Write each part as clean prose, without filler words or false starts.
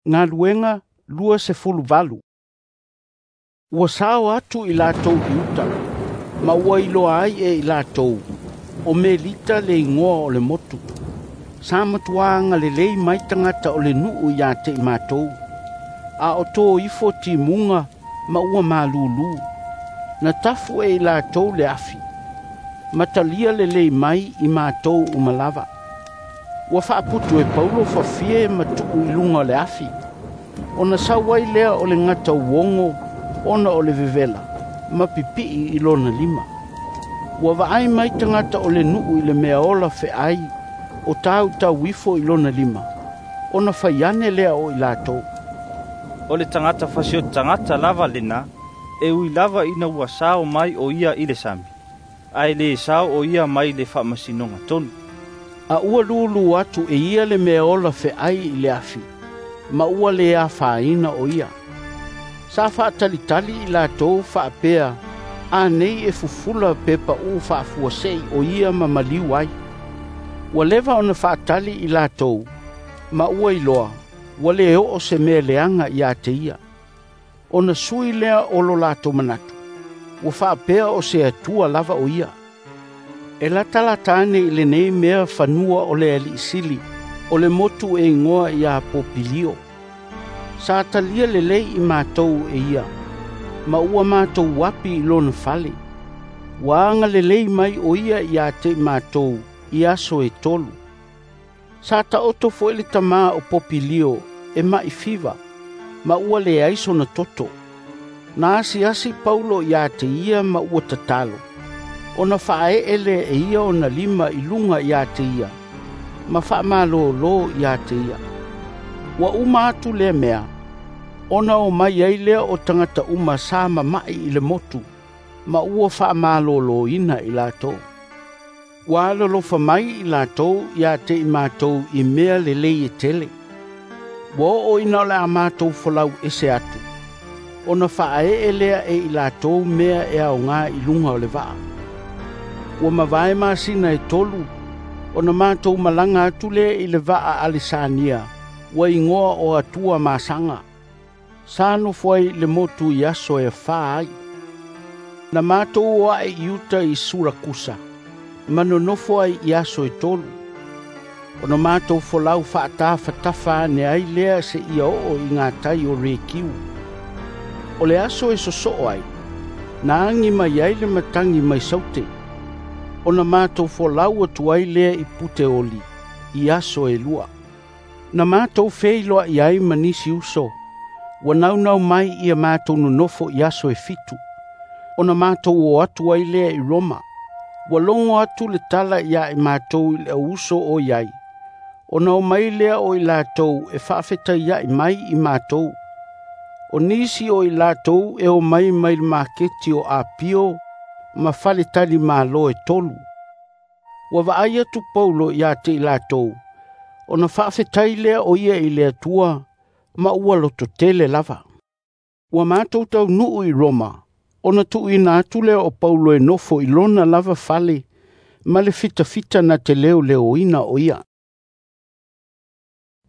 Galuega 28. Ua sao atu i latou i uta, ma ua iloa ai e i latou, o Melita le igoa o le motu. Sa matuā agalelei mai tagata o le nuu ia te i matou, a o tō ifo timuga ma ua malūlū. Na tafu e i latou le afi, ma talia lelei mai i matou uma lava. Ua faaputu e Paulo fafie ma tuu i luga o le afi, ona sau ai lea o le gata uogo ona o le vevela, ma pipii i lona lima. Ua vaai mai tagata o le nuu i le mea ola feai o tautau ifo i lona lima, ona fai ane lea o i latou. O le tagata fasioti tagata lava lena, e ui lava ina ua sao mai o ia i le sami, ae le sao o ia mai le faamasinoga tonu. A ua lūlū atu e ia le mea ola feai i le afi, ma ua le afaina o ia. Sa faatalitali i latou faapea, a nei e fufula pe paʻū faafuasei o ia ma maliu ai. Ua leva ona faatali i latou, ma ua iloa, ua le oo se mea leaga ia te ia. Ona sui lea o lo latou manatu, ua faapea o se Atua lava o ia. E latalata ane i lenei mea fanua o le alii sili, o le motu e igoa ia Popilio. Sa talia lelei i matou e ia, ma ua matou api i lona fale. Ua agalelei mai o ia ia te i matou i aso e 3. Sa taoto foi le tamā o Popilio e mai fiva, ma ua leai sona toto. Na asiasi Paulo ia te ia ma ua tatalo, ona faaee lea e ia ona lima i luga ia te ia, ma faamalōlō ia te ia. Ua uma atu lea mea, ona o mai ai lea o tagata uma sa mama'i i le motu, ma ua faamalōlōina i latou. Ua alolofa mai i latou ia te i matou i mea lelei e tele. Ua oo ina o le a matou folau ese atu, ona faaee lea e i latou mea e aoga i luga o le vaa. Ua mavae masina e 3, ona matou malaga atu lea i le vaa Alesania, ua igoa o Atua Masaga. Sa nofo ai le motu i aso e 4 ai. Na matou o ae i uta i Surakusa, ma nonofo ai i aso e 3. Ona matou folau faatafatafa ane ai lea se ia oo i gatai o Rekiu. O le aso e sosoo ai, na agi mai ai le matagi mai Saute. Ona matou folau atu ai lea i Puteoli, i aso e 2. Na matou feiloai ai ma nisi uso, ua naunau mai ia matou nonofo i aso e 7. Ona matou o atu ai lea i Roma. Ua logo atu le tala ia i matou i le auuso o iai, ona o mai lea o i latou e faafetaiai mai i matou. O nisi o i latou e o mai mai le maketi o Apio ma faletali malo e 3. Ua vaai atu Paulo ia te i latou, ona faafetai lea o ia i le Atua, ma ua lototele lava. Ua matou taunuu i Roma, ona tuuina atu lea o Paulo e nofo i lona lava fale, ma le fitafita na te leoleoina o ia.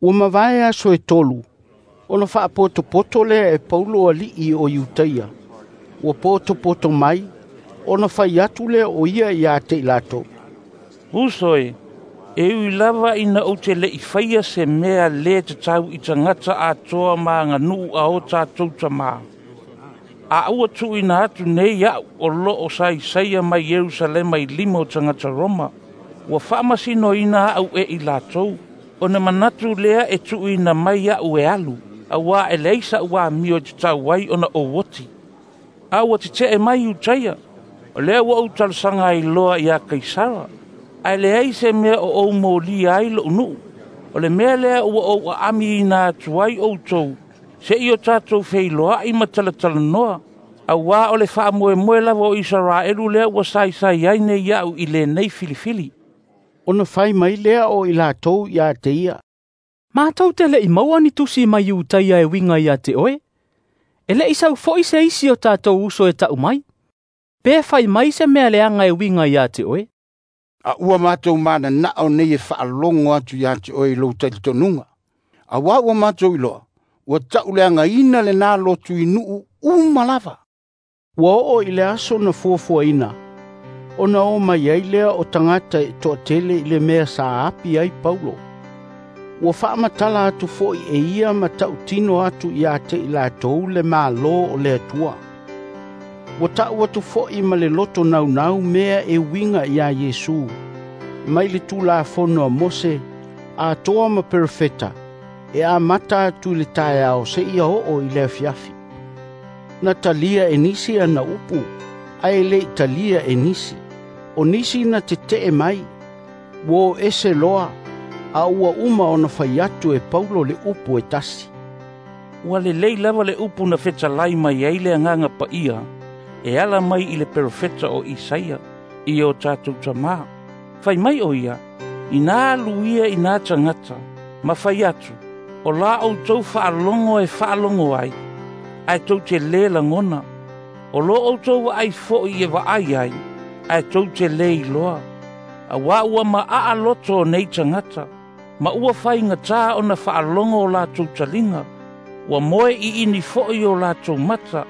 Ua mavae aso e 3, ona faapotopoto lea e Paulo alii o Iutaia. Ua potopoto mai, ona fai atu lea o ia ia te i latou. Uso e, e ui lava ina ou te le'i faia se mea le tatau i tagata atoa ma aganuu a o tatou tamā. A ua tuuina atu nei a'u o loo saisaia mai Ierusalema i lima o tagata Roma, ua faamasinoina a'u e i latou, ona manatu lea e tuuina mai a'u e alu, auā e leai sa'u amio e tatau ai ona ou oti. A ua tete'e mai Iutaia, o lea ua ou talosaga ai loa iā Kaisara, ae leai se mea o ou molia ai lo'u nuu. O le mea lea ua ou aamiina atu ai outou, se'i o tatou feiloa'i ma talatalanoa, auā o le faamoemoe lava o Isaraelu lea ua saisai ai nei a'u i lenei filifili. Ona fai mai lea o i latou ia te ia. Matou te le'i maua ni tusi mai Iutaia e uiga ia te oe. E le'i sau fo'i se isi o tatou uso e ta'u mai. Pe fai mai se mea leaga e uiga ia te oe. A ua matou mananao nei e faalogo atu ia te oe i lou talitonuga. Auā ua matou iloa, Ua ta'uleagaina lenā lotu i nu'u uma lava. Ua oo i le aso na fuafuaina, ona o mai ai lea o tagata e to'atele i le mea sa api ai Paulo. Ua faamatala atu fo'i e ia ma ta'utino atu ia te i latou le Malo o le Atua. Ua ta'u atu fo'i ma le loto naunau mea e uiga iā Iesu, mai le Tulafono a Mose, atoa ma perofeta, e amata atu i le taeao seia oo i le afiafi. Na talia e nisi ana upu, ae le'i talia e nisi. O nisi na tete'e mai, ua o ese loa, a ua uma ona fai atu e Paulo le upu e tasi. Ua lelei lava le upu na fetalai mai ai le Agaga Paia, e ala mai i le perofeta o Isaia, i o tatou tamā. Fai mai o ia, ina alu ia i nā tagata, ma fai atu, o la outou faalogo e faalogo ai, ae tou te lē lagona. O lo outou vaai fo'i e vaai ai, ae tou te lē iloa. Auā ua ma'a loto o nei tagata, ma ua faigatā ona faalogo o latou taliga, ua moe i'ini fo'i o latou mata,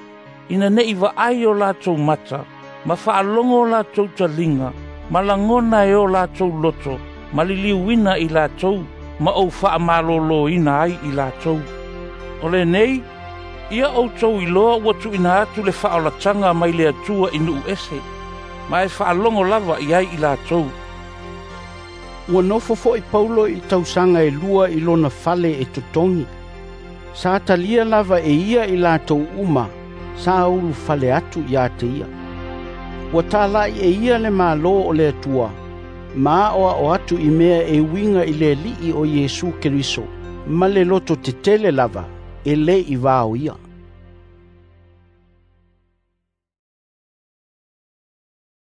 ina ne'i vaai o latou mata, ma faalogo o latou taliga, ma lagona e o latou loto, ma liliuina i latou, ma ou faamalōlōina ai i latou. O lenei, ia outou iloa ua tuuina atu le faaolataga mai le Atua i nu'u ese, ma e faalogo lava i ai i latou. Ua nofo fo'i Paulo i tausaga e 2 i lona fale e totogi. Sa talia lava e ia i latou uma, sa ulufale atu ia te ia. Ua tala'i e ia le Malo o le Atua, ma aoao atu i mea e uiga i le Ali'i o Iesu Keriso, ma le loto tetele lava, e lē i vaoia.